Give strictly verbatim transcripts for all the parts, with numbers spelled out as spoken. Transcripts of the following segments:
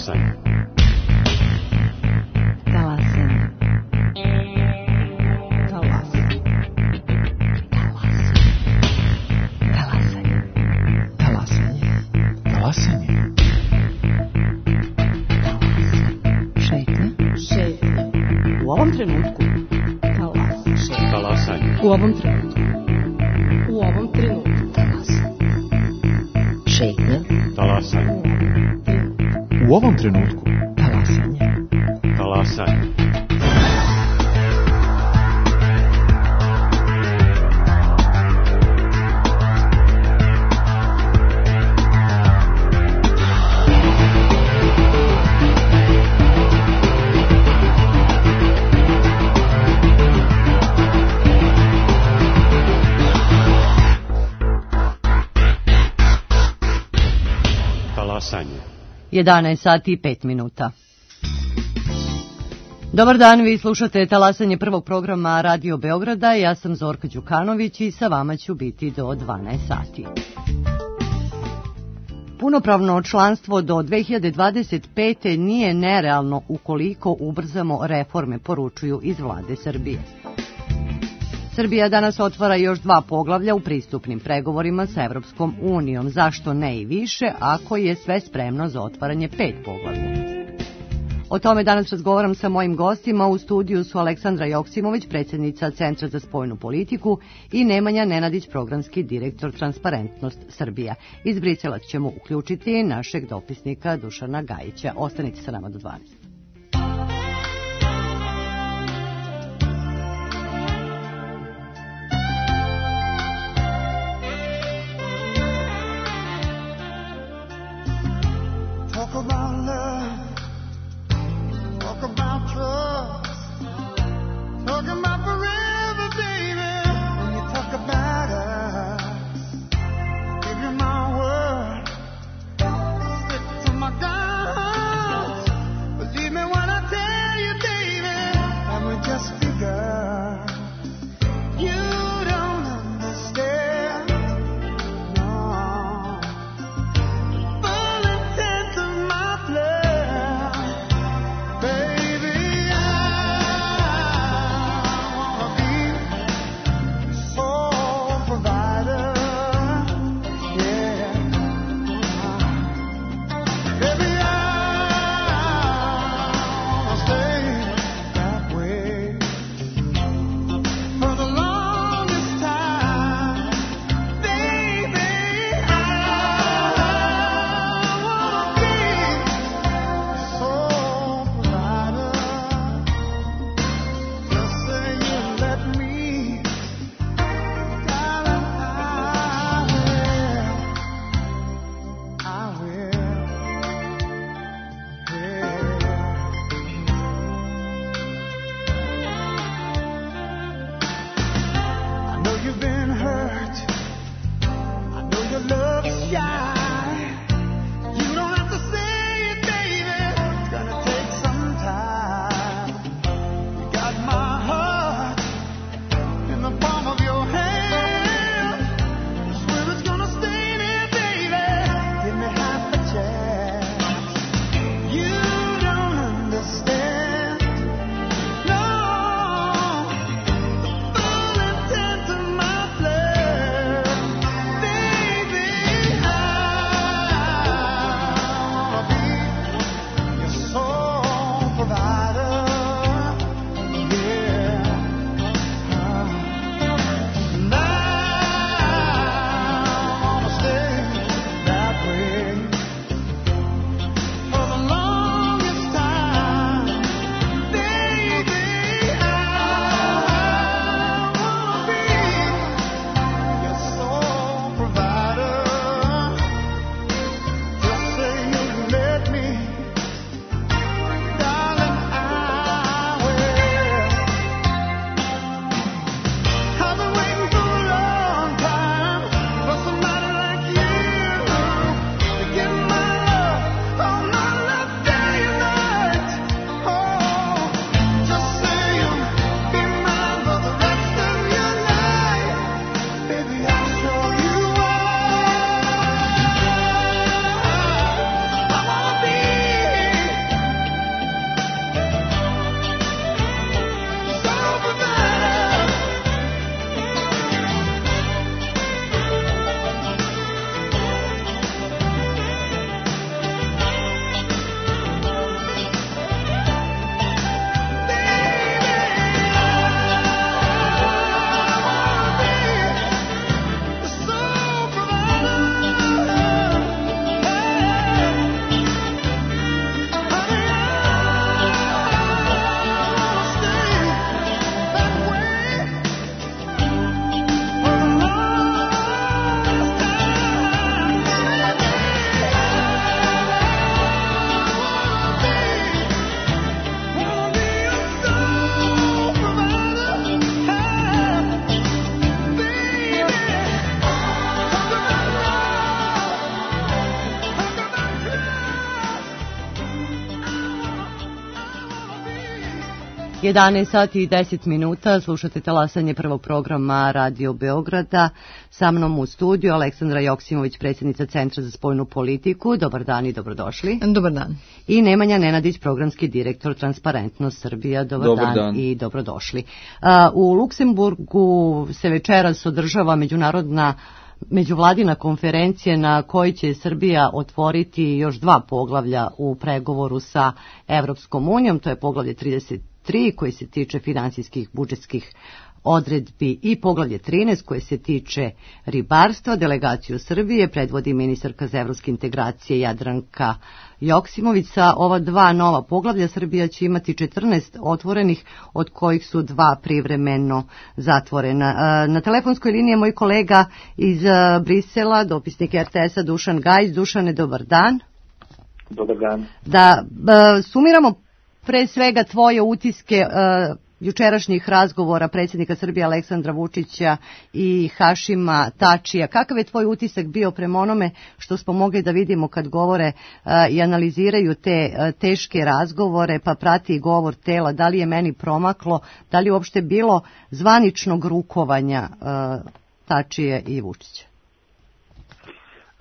Talasanje. Talasanje. Talasanje. Talasanje. Talasanje. Šetnja. Šetnja. U ovom trenutku. Talasanje. Talasanje. U ovom trenutku. U ovom trenutku. Talasanje. Šetnja. Talasanje. U ovom trenutku. Talasanje. Talasanje. jedanaest sati i pet minuta. Dobar dan, vi slušate Talasanje prvog programa Radio Beograda. Ja sam Zorka Đukanović i sa vama ću biti do dvanaest sati. Punopravno članstvo do dve hiljade dvadeset pete nije nerealno ukoliko ubrzamo reforme, poručuju iz vlade Srbije. Srbija danas otvara još dva poglavlja u pristupnim pregovorima sa Evropskom unijom. Zašto ne i više, ako je sve spremno za otvaranje pet poglavlja? O tome danas razgovaram sa mojim gostima. U studiju su Aleksandra Joksimović, predsjednica Centra za spoljnu politiku, i Nemanja Nenadić, programski direktor Transparentnost Srbija. Iz Brisela ćemo uključiti našeg dopisnika Dušana Gajića. Ostanite sa nama do dvanaest. jedanaest sati i deset minuta, slušate talasanje prvog programa Radio Beograda. Sa mnom u studiju Aleksandra Joksimović, predsjednica Centra za spoljnu politiku. Dobar dan i dobrodošli. Dobar dan. I Nemanja Nenadić, programski direktor Transparentnost Srbija. Dobar, Dobar dan, dan i dobrodošli. U Luksemburgu se večeras održava međunarodna međuvladina konferencija na kojoj će Srbija otvoriti još dva poglavlja u pregovoru sa Evropskom unijom. To je poglavlje trideset tri koje se tiče finansijskih budžetskih odredbi i poglavlje trinaest koje se tiče ribarstva. Delegaciju Srbije predvodi ministarka za evropske integracije Jadranka Joksimović. Sa ova dva nova poglavlja Srbija će imati četrnaest otvorenih, od kojih su dva privremeno zatvorena. Na telefonskoj liniji je moj kolega iz Brisela, dopisnik er te es-a Dušan Gajić. Dušane, dobar dan. Dobar dan. Da sumiramo pre svega tvoje utiske uh, jučerašnjih razgovora predsjednika Srbije Aleksandra Vučića i Hašima Tačija. Kakav je tvoj utisak bio prema onome što smo mogli da vidimo kad govore uh, i analiziraju te uh, teške razgovore, pa prati i govor tela? Da li je meni promaklo, da li je uopšte bilo zvaničnog rukovanja uh, Tačije i Vučića?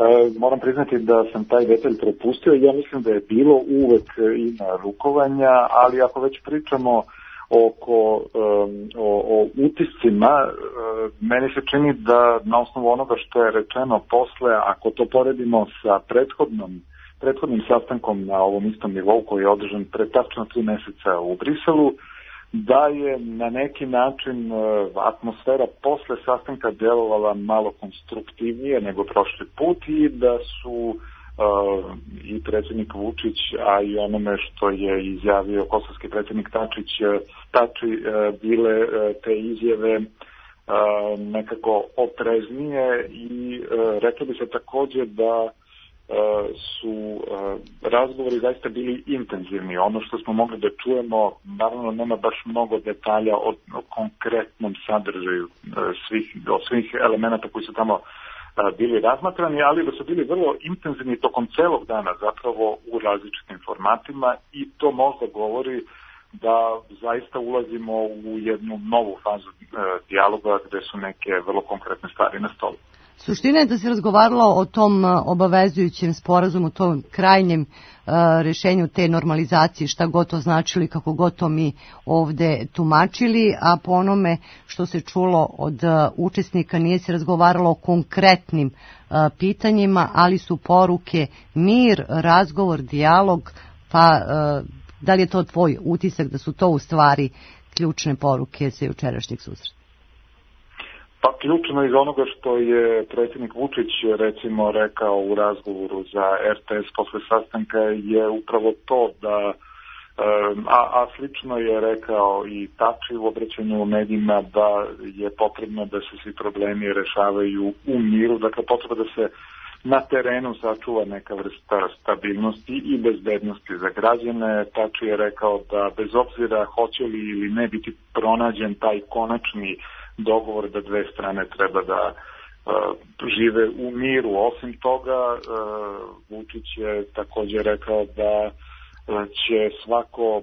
E, moram priznati da sam taj detalj propustio. Ja mislim da je bilo uvek ima rukovanja, ali ako već pričamo oko um, o, o utiscima, um, meni se čini da na osnovu onoga što je rečeno posle, ako to poredimo sa prethodnom, prethodnim sastankom na ovom istom nivou koji je održan pre tačno tri meseca u Briselu, da je na neki način uh, atmosfera posle sastanka djelovala malo konstruktivnije nego prošli put i da su uh, i predsjednik Vučić, a i onome što je izjavio kosovski predsjednik Tačić, Tači uh, bile uh, te izjave uh, nekako opreznije i uh, reklo bi se također da su razgovori zaista bili intenzivni. Ono što smo mogli da čujemo, naravno nema baš mnogo detalja o, o konkretnom sadržaju svih, o svih elemenata koji su tamo bili razmatrani, ali da su bili vrlo intenzivni tokom celog dana zapravo u različitim formatima i to možda govori da zaista ulazimo u jednu novu fazu dijaloga gde su neke vrlo konkretne stvari na stolu. Suština je da se razgovaralo o tom obavezujućem sporazumu, tom krajnjem uh, rešenju te normalizacije, šta god to značili, kako god to mi ovde tumačili, a po onome što se čulo od uh, učesnika nije se razgovaralo o konkretnim uh, pitanjima, ali su poruke mir, razgovor, dijalog, pa uh, da li je to tvoj utisak da su to u stvari ključne poruke sa jučerašnjeg susreta? Pa ključno iz onoga što je predsjednik Vučić recimo rekao u razgovoru za er te es posle sastanka je upravo to da, a, a slično je rekao i Tači u obraćanju u medijima, da je potrebno da se svi problemi rešavaju u miru, dakle potreba da se na terenu sačuva neka vrsta stabilnosti i bezbednosti za građane. Tači je rekao da bez obzira hoće li ili ne biti pronađen taj konačni dogovor da dve strane treba da uh, žive u miru. Osim toga, uh, Vučić je također rekao da uh, će svako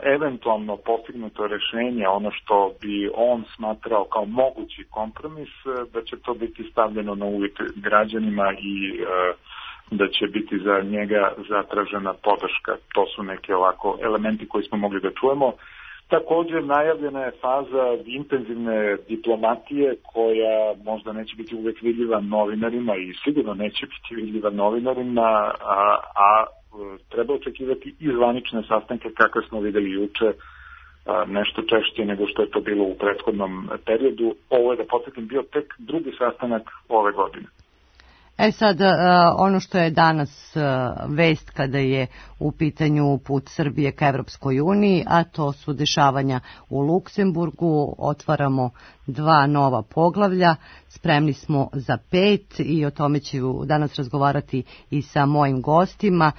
eventualno postignuto rešenje, ono što bi on smatrao kao mogući kompromis, uh, da će to biti stavljeno na uvid građanima i uh, da će biti za njega zatražena podrška. To su neke ovako elementi koji smo mogli da čujemo. Također najavljena je faza intenzivne diplomatije koja možda neće biti uvek vidljiva novinarima i sigurno neće biti vidljiva novinarima, a, a treba očekivati i zvanične sastanke kakve smo videli juče, a, nešto češće nego što je to bilo u prethodnom periodu. Ovo je, da podsjetim, bio tek drugi sastanak ove godine. E sad, ono što je danas vest kada je u pitanju put Srbije ka Evropskoj uniji, a to su dešavanja u Luksemburgu, otvaramo dva nova poglavlja, spremni smo za pet i o tome ću danas razgovarati i sa mojim gostima.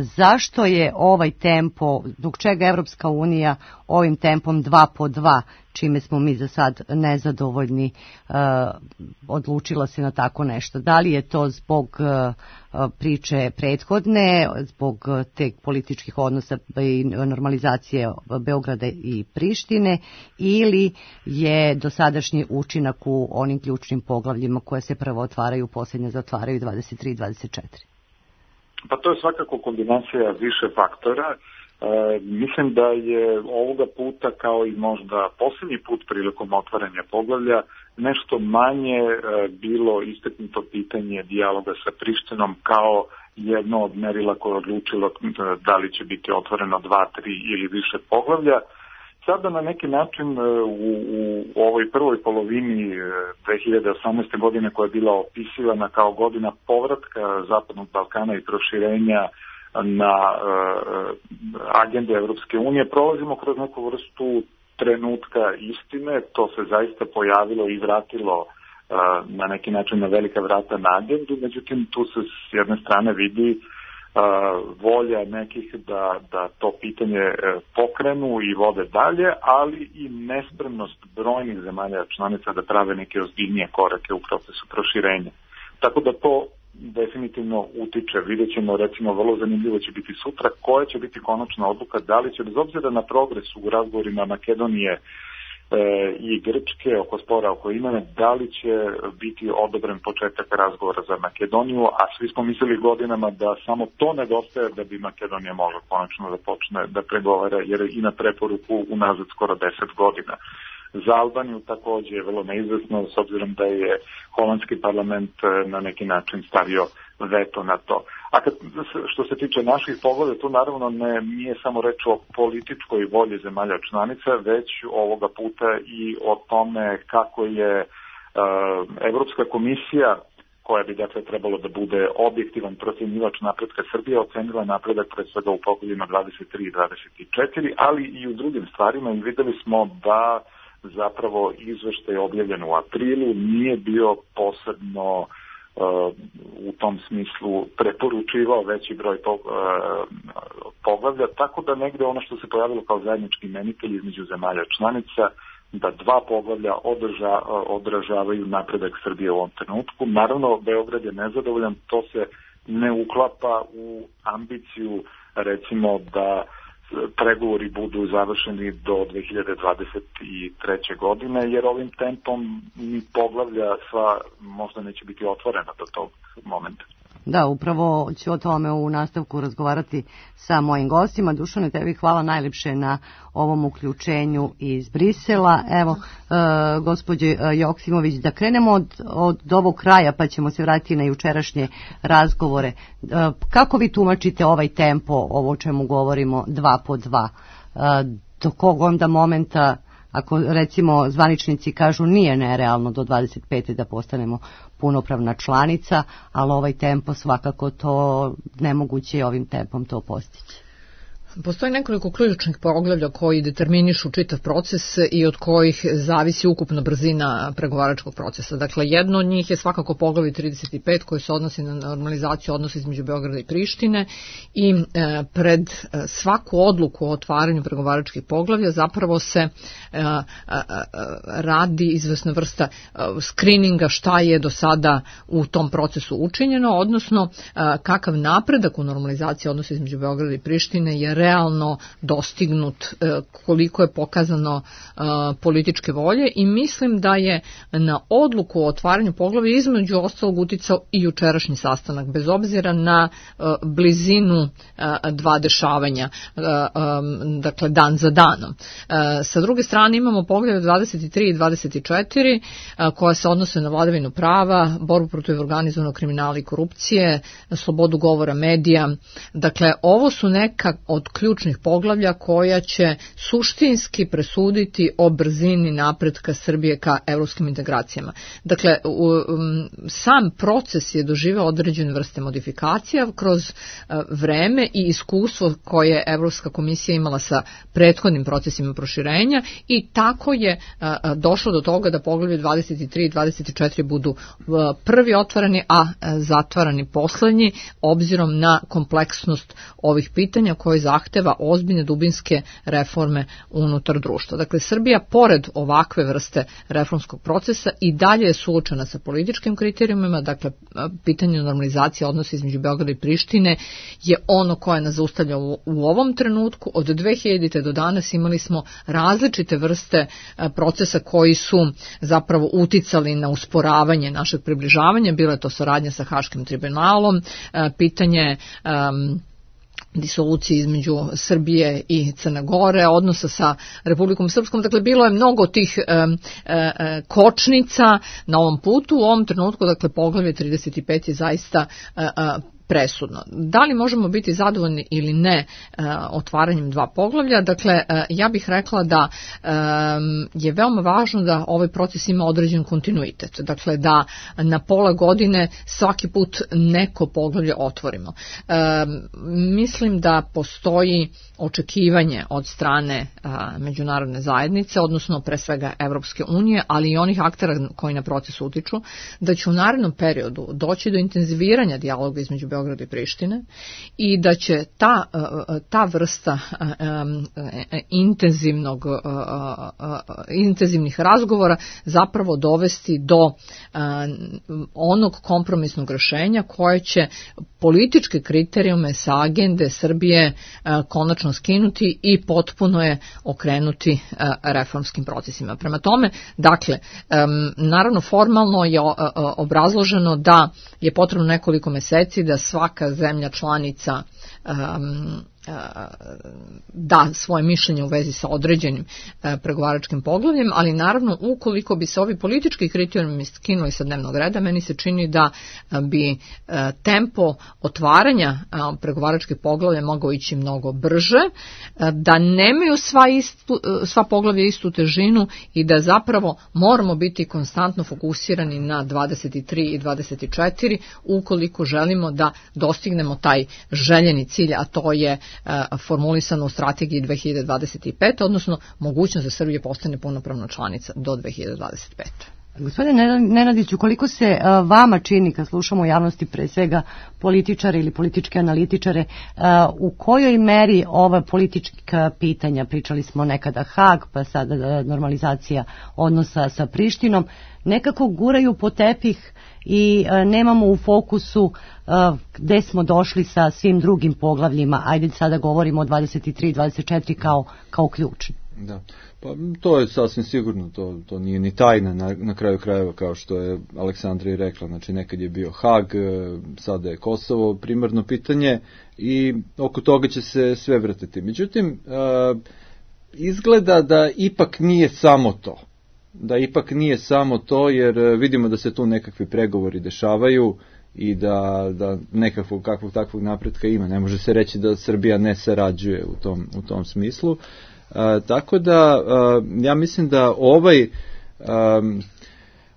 Zašto je ovaj tempo, zbog čega Evropska unija ovim tempom dva po dva, čime smo mi za sad nezadovoljni, uh, odlučila se na tako nešto? Da li je to zbog uh, priče prethodne zbog te političkih odnosa i normalizacije Beograda i Prištine, ili je dosadašnji učinak u onim ključnim poglavljima koje se prvo otvaraju, posljednje zatvaraju dvadeset tri i dvadeset četiri? Pa to je svakako kombinacija više faktora. E, mislim da je ovoga puta, kao i možda posljednji put prilikom otvaranja poglavlja, nešto manje e, bilo istaknuto pitanje dijaloga sa Prištinom kao jedno od merila koje je odlučilo da li će biti otvoreno dva, tri ili više poglavlja. Sada na neki način u, u ovoj prvoj polovini dve hiljade osamnaeste. godine, koja je bila opisivana kao godina povratka Zapadnog Balkana i proširenja na uh, agendu Evropske unije, prolazimo kroz neku vrstu trenutka istine. To se zaista pojavilo i vratilo uh, na neki način na velika vrata na agendu, međutim tu se s jedne strane vidi Uh, volja nekih da, da to pitanje uh, pokrenu i vode dalje, ali i nespremnost brojnih zemalja članica da prave neke ozbiljnije korake u procesu proširenja. Tako da to definitivno utiče. Vidjet ćemo, recimo, vrlo zanimljivo će biti sutra koja će biti konačna odluka, da li će, bez obzira na progres u razgovorima Makedonije i Grčke oko spora oko imena, da li će biti odobren početak razgovora za Makedoniju, a svi smo mislili godinama da samo to nedostaje da bi Makedonija mogla konačno da počne da pregovara, jer je i na preporuku unazad skoro deset godina. Za Albaniju takođe je vrlo neizvesno, s obzirom da je holandski parlament na neki način stavio veto na to. A kad, što se tiče naših poglavlja, tu naravno ne, nije samo reč o političkoj volji zemalja članica, već ovoga puta i o tome kako je uh, Evropska komisija, koja bi dakle trebalo da bude objektivan procjenjivač napretka Srbije, ocenila napredak pred svega u poglavljima dvadeset tri i dvadeset četiri, ali i u drugim stvarima, i videli smo da zapravo izveštaj objavljen u aprilu nije bio posebno uh, u tom smislu preporučivao veći broj uh, poglavlja, tako da negde ono što se pojavilo kao zajednički imenitelj između zemalja članica, da dva poglavlja održa, odražavaju napredak Srbije u ovom trenutku. Naravno, Beograd je nezadovoljan, to se ne uklapa u ambiciju, recimo, da pregovori budu završeni do dve hiljade dvadeset treće. godine, jer ovim tempom ni poglavlja sva možda neće biti otvorena do tog momenta. Da, upravo ću o tome u nastavku razgovarati sa mojim gostima. Dušane, tebi hvala najlepše na ovom uključenju iz Brisela. Evo, e, gospođe Joksimović, da krenemo od, od ovog kraja, pa ćemo se vratiti na jučerašnje razgovore. E, kako vi tumačite ovaj tempo, ovo o čemu govorimo, dva po dva? E, do kog onda momenta, ako recimo zvaničnici kažu nije nerealno do dvadeset pete da postanemo punopravna članica, ali ovaj tempo svakako to nemoguće je ovim tempom to postići. Postoji nekoliko ključnih poglavlja koji determinišu čitav proces i od kojih zavisi ukupna brzina pregovaračkog procesa. Dakle, jedno od njih je svakako poglavlje trideset pet koje se odnosi na normalizaciju odnosa između Beograda i Prištine i e, pred svaku odluku o otvaranju pregovaračkih poglavlja zapravo se e, e, radi izvesna vrsta e, skrininga šta je do sada u tom procesu učinjeno, odnosno e, kakav napredak u normalizaciji odnosa između Beograda i Prištine je realno dostignut, koliko je pokazano političke volje, i mislim da je na odluku o otvaranju poglavlja između ostalog uticao i jučerašnji sastanak, bez obzira na blizinu dva dešavanja, dakle dan za danom. Sa druge strane imamo poglavlje dvadeset tri i dvadeset četiri koja se odnose na vladavinu prava, borbu protiv organizovanog kriminala i korupcije, slobodu govora medija. Dakle, ovo su neka od ključnih poglavlja koja će suštinski presuditi o brzini napretka Srbije ka evropskim integracijama. Dakle, um, sam proces je doživeo određene vrste modifikacija kroz uh, vreme i iskustvo koje je Evropska komisija imala sa prethodnim procesima proširenja, i tako je uh, došlo do toga da poglavlje dvadeset tri i dvadeset četiri budu uh, prvi otvarani, a uh, zatvarani poslednji, obzirom na kompleksnost ovih pitanja koje zahtjevaju zahteva ozbiljne dubinske reforme unutar društva. Dakle, Srbija, pored ovakve vrste reformskog procesa, i dalje je suočena sa političkim kriterijumima. Dakle, pitanje normalizacije odnosa između Beograda i Prištine je ono koje nas zaustavlja u, u ovom trenutku. Od dve hiljadite do danas imali smo različite vrste procesa koji su zapravo uticali na usporavanje našeg približavanja. Bila je to saradnja sa Haškim tribunalom, pitanje um, disolucije između Srbije i Crne Gore, odnosa sa Republikom Srpskom. Dakle, bilo je mnogo tih e, e, kočnica na ovom putu. U ovom trenutku, dakle, poglavlje trideset pet je zaista e, e, presudno. Da li možemo biti zadovoljni ili ne e, otvaranjem dva poglavlja? Dakle, e, ja bih rekla da e, je veoma važno da ovaj proces ima određen kontinuitet. Dakle, da na pola godine svaki put neko poglavlje otvorimo. E, mislim da postoji očekivanje od strane a, međunarodne zajednice, odnosno pre svega Evropske unije, ali i onih aktera koji na proces utiču, da će u narednom periodu doći do intenziviranja dijaloga između Beograda i Prištine i da će ta, ta vrsta intenzivnog, intenzivnih razgovora zapravo dovesti do onog kompromisnog rešenja koje će političke kriterijume sa agende Srbije konačno skinuti i potpuno je okrenuti reformskim procesima. Prema tome, dakle, naravno formalno je obrazloženo da je potrebno nekoliko meseci da svaka zemlja članica um, da svoje mišljenje u vezi sa određenim pregovaračkim poglavljem, ali naravno ukoliko bi se ovi politički kriterijumi skinuli sa dnevnog reda, meni se čini da bi tempo otvaranja pregovaračkih poglavlja mogao ići mnogo brže, da nemaju sva, istu, sva poglavlja istu težinu i da zapravo moramo biti konstantno fokusirani na dvadeset tri i dvadeset četiri ukoliko želimo da dostignemo taj željeni cilj, a to je formulisano u strategiji dve hiljade dvadeset pet, odnosno mogućnost da Srbija postane punopravna članica do dve hiljade dvadeset pete. Gospodine Nenadiću, koliko se uh, vama čini, kad slušamo u javnosti pre svega političare ili političke analitičare, uh, u kojoj meri ova politička pitanja, pričali smo nekada Hag, pa sada uh, normalizacija odnosa sa Prištinom, nekako guraju po tepih i uh, nemamo u fokusu uh, gde smo došli sa svim drugim poglavljima, ajde sada govorimo o dvadeset tri i dvadeset četiri kao, kao ključni. Da, pa to je sasvim sigurno, to, to nije ni tajna na, na kraju krajeva, kao što je Aleksandra i rekla, znači nekad je bio Hag, sada je Kosovo primarno pitanje i oko toga će se sve vrtiti. Međutim, izgleda da ipak nije samo to, da ipak nije samo to, jer vidimo da se tu nekakvi pregovori dešavaju i da, da nekakvog kakvog takvog napretka ima. Ne može se reći da Srbija ne sarađuje u tom, u tom smislu. A, tako da a, ja mislim da ovaj a,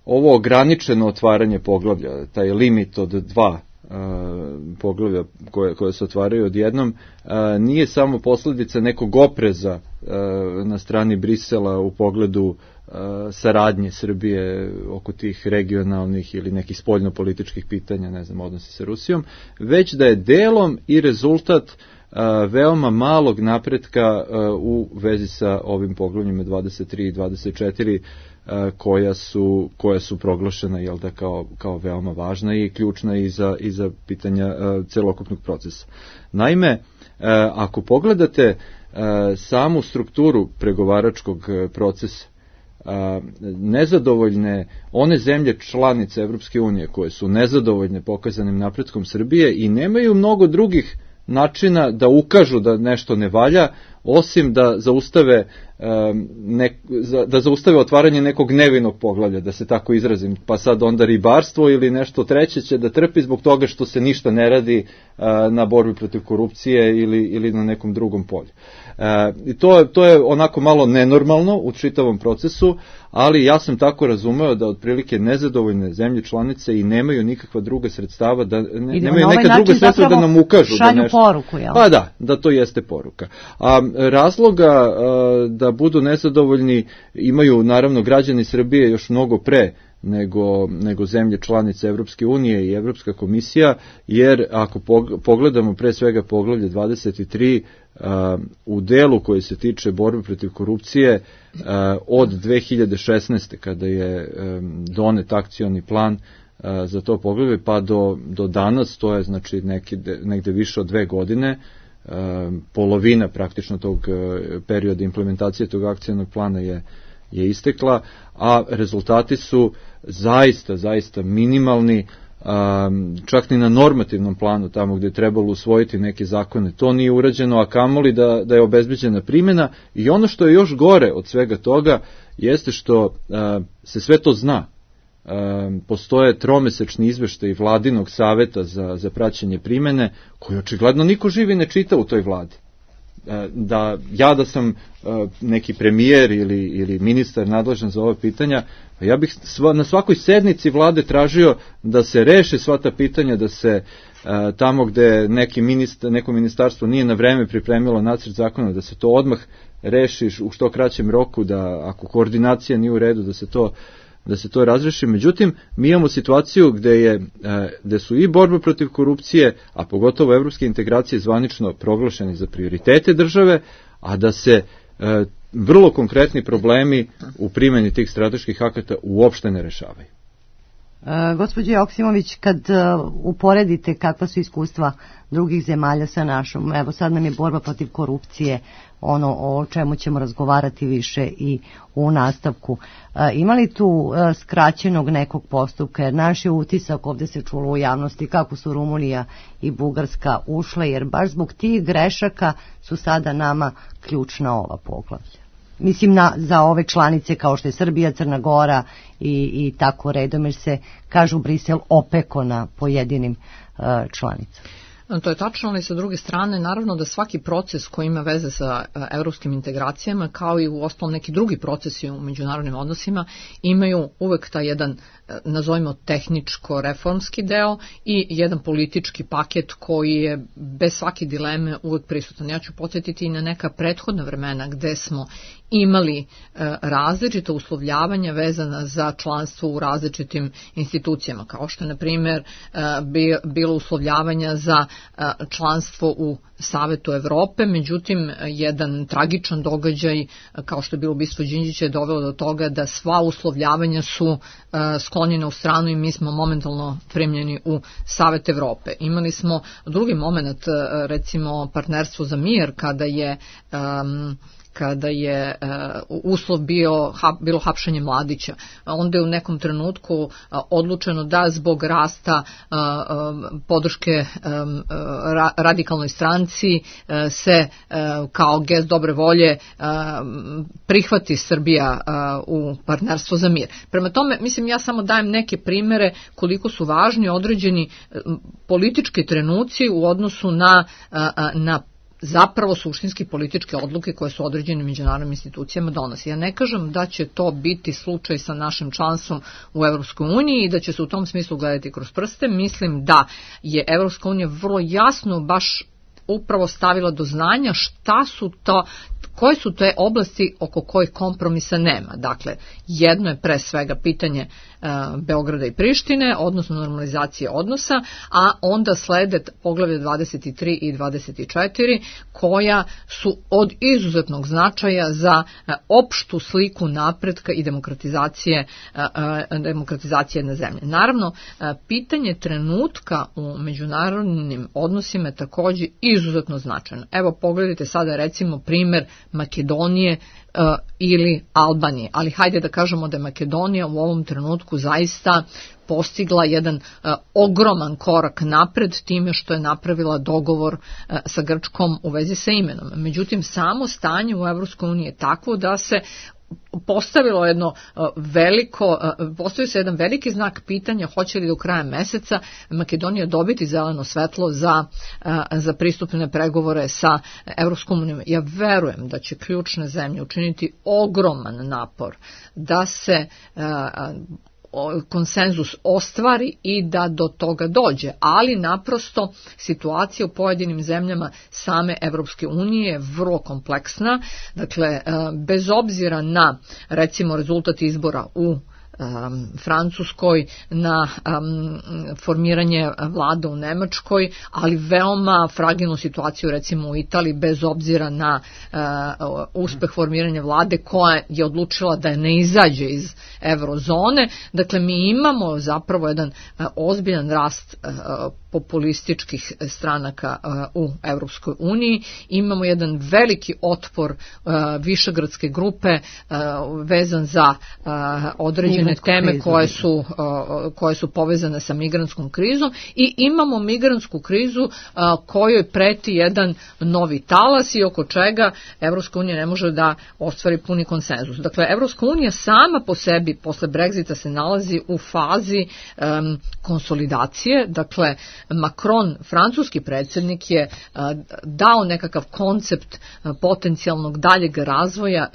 ovo ograničeno otvaranje poglavlja, taj limit od dva a, poglavlja koje, koje se otvaraju odjednom, a, nije samo posljedica nekog opreza a, na strani Brisela u pogledu a, saradnje Srbije oko tih regionalnih ili nekih spoljnopolitičkih pitanja, ne znam, odnosi sa Rusijom, već da je delom i rezultat veoma malog napretka u vezi sa ovim poglavljima dvadeset tri i dvadeset četiri koja su, koja su proglašena, jel da, kao, kao veoma važna i ključna i za, i za pitanja celokupnog procesa. Naime, ako pogledate samu strukturu pregovaračkog procesa, nezadovoljne, one zemlje članice Evropske unije koje su nezadovoljne pokazanim napretkom Srbije i nemaju mnogo drugih načina da ukažu da nešto ne valja, osim da zaustave ne, da zaustave otvaranje nekog nevinog poglavlja, da se tako izrazim, pa sad onda ribarstvo ili nešto treće će da trpi zbog toga što se ništa ne radi na borbi protiv korupcije ili, ili na nekom drugom polju. I to, to je onako malo nenormalno u čitavom procesu, ali ja sam tako razumeo da otprilike nezadovoljne zemlje članice i nemaju nikakva druga sredstava, da ne, nemaju ovaj neka druga sredstva da nam ukažu šalju da nešto. Poruku, jel? Pa da, da to jeste poruka. A razloga da budu nezadovoljni imaju naravno građani Srbije još mnogo pre nego, nego zemlje članice Evropske unije i Evropska komisija, jer ako pogledamo pre svega poglavlje dvadeset tri, u delu koji se tiče borbe protiv korupcije od dve hiljade šesnaeste kada je donet akcioni plan za to poglavlje pa do, do danas, to je znači neki, negde više od dve godine, polovina praktično tog perioda implementacije tog akcionog plana je, je istekla, a rezultati su zaista, zaista minimalni, čak ni na normativnom planu, tamo gde je trebalo usvojiti neke zakone, to nije urađeno, a kamoli da, da je obezbeđena primjena. I ono što je još gore od svega toga jeste što se sve to zna. Postoje tromesečni izveštaj Vladinog saveta za, za praćenje primene, koji očigledno niko živi ne čita u toj vladi. Da ja da sam neki premijer ili, ili ministar nadležan za ova pitanja, ja bih sva, na svakoj sednici vlade tražio da se reše sva ta pitanja, da se tamo gde neki ministar, neko ministarstvo nije na vreme pripremilo nacrt zakona, da se to odmah reši u što kraćem roku, da ako koordinacija nije u redu, da se to da se to razreši. Međutim, mi imamo situaciju gde, je, gde su i borba protiv korupcije, a pogotovo evropske integracije zvanično proglašene za prioritete države, a da se vrlo konkretni problemi u primjeni tih strateških akata uopšte ne rešavaju. E, gospođo Joksimović, kad uh, uporedite kakva su iskustva drugih zemalja sa našom, evo sad nam je borba protiv korupcije, ono o čemu ćemo razgovarati više i u nastavku. E, ima li tu e, skraćenog nekog postupka, jer naš je utisak, ovde se čulo u javnosti kako su Rumunija i Bugarska ušle, jer baš zbog tih grešaka su sada nama ključna ova poglavlja. Mislim na, za ove članice kao što je Srbija, Crna Gora i, i tako redom, jer se, kažu, Brisel opeko na pojedinim uh, članicama. To je tačno, ali sa druge strane, naravno da svaki proces koji ima veze sa evropskim integracijama, kao i u ostalom neki drugi procesi u međunarodnim odnosima, imaju uvek taj jedan, nazovimo, tehničko-reformski deo i jedan politički paket koji je bez svake dileme uvek prisutan. Ja ću podsjetiti i na neka prethodna vremena gde smo imali e, različita uslovljavanja vezana za članstvo u različitim institucijama, kao što je, na primjer, e, bi, bilo uslovljavanja za e, članstvo u Savetu Evrope, međutim, jedan tragičan događaj, kao što je bilo ubistvo Đinđića, je dovelo do toga da sva uslovljavanja su e, sklonjena u stranu i mi smo momentalno primljeni u Savet Evrope. Imali smo drugi moment, recimo partnerstvo za mir, kada je um, kada je uh, uslov bio ha, bilo hapšenje Mladića. Onda je u nekom trenutku uh, odlučeno da zbog rasta uh, um, podrške um, ra, radikalnoj stranci uh, se uh, kao gest dobre volje uh, prihvati Srbija uh, u partnerstvo za mir. Prema tome, mislim, ja samo dajem neke primere koliko su važni određeni uh, politički trenuci u odnosu na, uh, na zapravo suštinski političke odluke koje su određene međunarodnim institucijama donosi. Ja ne kažem da će to biti slučaj sa našim članstvom u Evropskoj uniji i da će se u tom smislu gledati kroz prste. Mislim da je Evropska unija vrlo jasno baš upravo stavila do znanja šta su to, koje su te oblasti oko kojih kompromisa nema. Dakle, jedno je pre svega pitanje e, Beograda i Prištine, odnosno normalizacije odnosa, a onda slede poglavlje dvadeset tri i dvadeset četiri, koja su od izuzetnog značaja za e, opštu sliku napretka i demokratizacije, e, e, demokratizacije jedne zemlje. Naravno, e, pitanje trenutka u međunarodnim odnosima je takođe izuzetno značajno. Evo, pogledajte sada recimo primer Makedonije uh, ili Albanije, ali hajde da kažemo da je Makedonija u ovom trenutku zaista postigla jedan uh, ogroman korak napred time što je napravila dogovor uh, sa Grčkom u vezi sa imenom. Međutim, samo stanje u Evropskoj uniji je takvo da se postavilo jedno veliko, postavio se jedan veliki znak pitanja hoće li do kraja meseca Makedonija dobiti zeleno svetlo za, za pristupne pregovore sa Evropskom unijom. Ja verujem da će ključne zemlje učiniti ogroman napor da se konsenzus ostvari i da do toga dođe, ali naprosto situacija u pojedinim zemljama same Evropske unije je vrlo kompleksna, dakle bez obzira na recimo rezultat izbora u um, Francuskoj, na um, formiranje vlada u Nemačkoj, ali veoma fragilnu situaciju recimo u Italiji, bez obzira na uh, uspeh formiranja vlade koja je odlučila da ne izađe iz eurozone. Dakle, mi imamo zapravo jedan uh, ozbiljan rast uh, populističkih stranaka uh, u Europskoj uniji. Imamo jedan veliki otpor uh, višegradske grupe uh, vezan za uh, određene Migransku teme krizu, koje su, uh, koje su povezane sa migrantskom krizom, i imamo migrantsku krizu uh, kojoj preti jedan novi talas i oko čega Europska unija ne može da ostvari puni konsenzus. Dakle, Europska unija sama po sebi posle Brexita se nalazi u fazi um, konsolidacije. Dakle, Macron, francuski predsjednik, je uh, dao nekakav koncept uh, potencijalnog daljeg razvoja,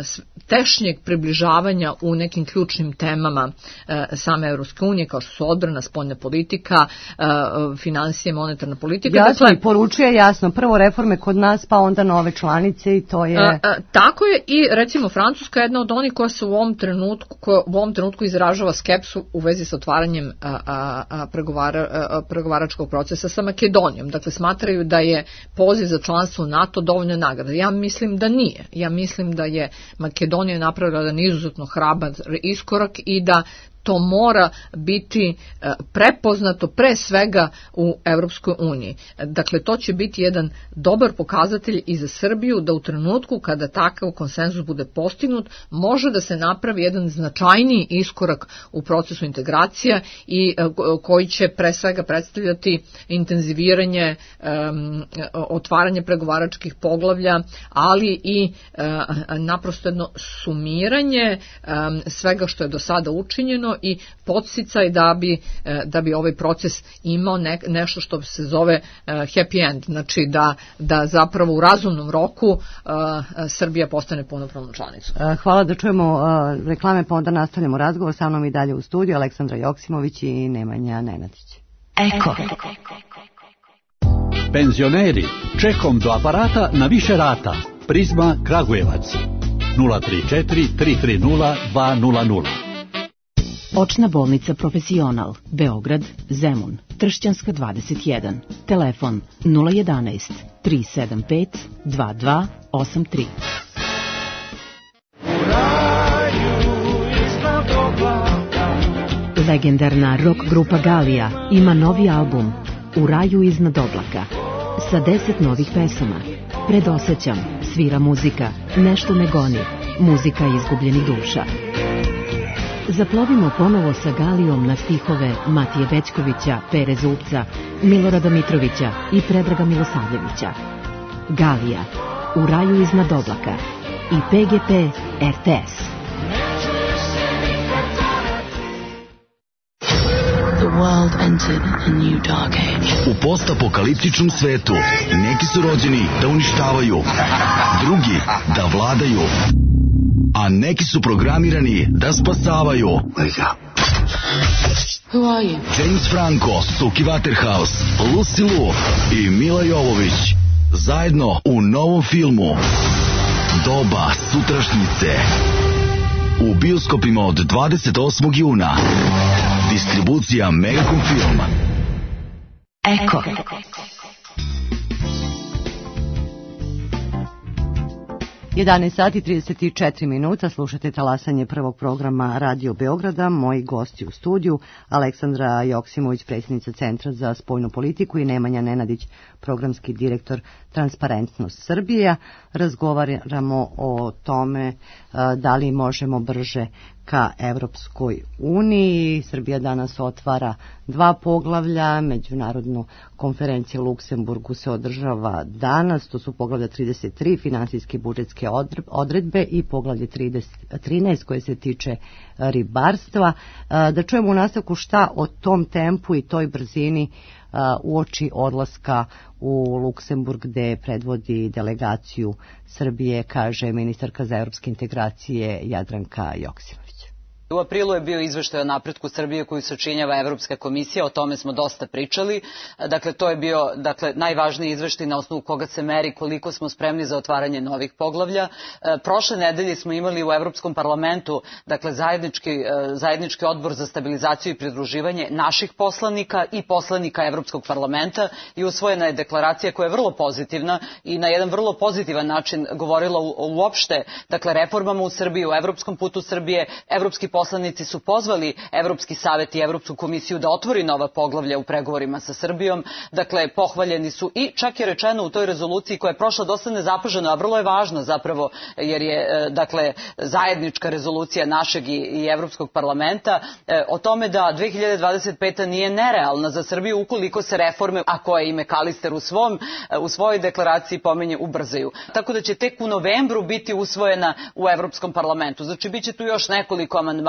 tešnjeg približavanja u nekim ključnim temama uh, same Europske unije, kao što su odbrana, spoljna politika, uh, financije, monetarna politika. Jasno, dakle, poručuje jasno, prvo reforme kod nas, pa onda nove članice, i to je... Uh, uh, tako je, i recimo Francuska je jedna od onih koja se u ovom trenutku, koja u ovom trenutku izražava skepsu u vezi sa otvaranjem uh, uh, pregovara, uh, pregovaračkog procesa sa Makedonijom. Dakle, smatraju da je poziv za članstvo u NATO dovoljna nagrada. Ja mislim da nije. Ja mislim da je Makedonija napravila jedan izuzetno hrabar iskorak i da to mora biti prepoznato pre svega u Europskoj uniji. Dakle, to će biti jedan dobar pokazatelj i za Srbiju, da u trenutku kada takav konsenzus bude postignut, može da se napravi jedan značajniji iskorak u procesu integracija i koji će pre svega predstavljati intenziviranje, um, otvaranje pregovaračkih poglavlja, ali i uh, naprosto jedno sumiranje um, svega što je do sada učinjeno i podsticaj da bi, da bi ovaj proces imao ne, nešto što se zove uh, happy end, znači da, da zapravo u razumnom roku uh, Srbija postane punopravnom članicom. Hvala, da čujemo uh, reklame, pa onda nastavljamo razgovor. Sa mnom i dalje u studiju Aleksandra Joksimović i Nemanja Nenadić. Eko. Penzioneri, čekom do aparata na više rata. Prizma Kragujevac nula tri četiri tri tri nula dva nula nula. Očna bolnica Profesional, Beograd, Zemun, Tršćanska dvadeset jedan. Telefon nula jedanaest tri sedam pet dva dva osam tri. Legendarna rock grupa Galija ima novi album U raju iznad oblaka sa deset novih pesama. Predosećam, svira muzika, nešto me goni, muzika izgubljenih duša. Zaplovimo ponovo sa Galijom na stihove Matije Bećkovića, Pere Zupca, Milorada Mitrovića i Predraga Milosavljevića. Galija, U raju iznad oblaka i P G P R T S. The world entered a new dark age. U postapokaliptičnom svetu neki su rođeni da uništavaju, drugi da vladaju, a neki su programirani da spasavaju. Wake up. Who are you? James Franco, Suki Waterhouse, Lucy Liu i Mila Jovović zajedno u novom filmu Doba sutrašnjice. U bioskopima od dvadeset osmog juna. Distribucija Megacom Film. Eko. jedanaest sati i trideset četiri minuta, slušate talasanje prvog programa Radio Beograda. Moji gosti u studiju, Aleksandra Joksimović, predsjednica Centra za spoljnu politiku, i Nemanja Nenadić, programski direktor Transparentnost Srbije. Razgovaramo o tome da li možemo brže ka Evropskoj uniji. Srbija danas otvara dva poglavlja, međunarodnu konferenciju u Luksemburgu se održava danas, to su poglavlja trideset tri, finansijske i budžetske odredbe, i poglavlje trinaest koje se tiče ribarstva. Da čujemo u nastavku šta o tom tempu i toj brzini uoči odlaska u Luksemburg, gde predvodi delegaciju Srbije, kaže ministarka za evropske integracije Jadranka Joksimović. U aprilu je bio izveštaj o napretku Srbije koju sačinjava Evropska komisija, o tome smo dosta pričali. Dakle, to je bio dakle, najvažniji izveštaj na osnovu koga se meri koliko smo spremni za otvaranje novih poglavlja. Prošle nedelje smo imali u Evropskom parlamentu dakle, zajednički, zajednički odbor za stabilizaciju i pridruživanje naših poslanika i poslanika Evropskog parlamenta i usvojena je deklaracija koja je vrlo pozitivna i na jedan vrlo pozitivan način govorila uopšte dakle, reformama u Srbiji, u evropskom putu Srbije. Evropski poslanici su pozvali Evropski savet i Evropsku komisiju da otvori nova poglavlja u pregovorima sa Srbijom. Dakle, pohvaljeni su i čak je rečeno u toj rezoluciji koja je prošla dosta nezapaženo, a vrlo je važna zapravo jer je dakle, zajednička rezolucija našeg i, i Evropskog parlamenta o tome da dve hiljade dvadeset peta nije nerealna za Srbiju ukoliko se reforme, a koje i McAllister u, svom, u svojoj deklaraciji pominje, ubrzaju. Tako da će tek u novembru biti usvojena u Evropskom parlamentu. Znači, bit će tu još nekoliko amandmana,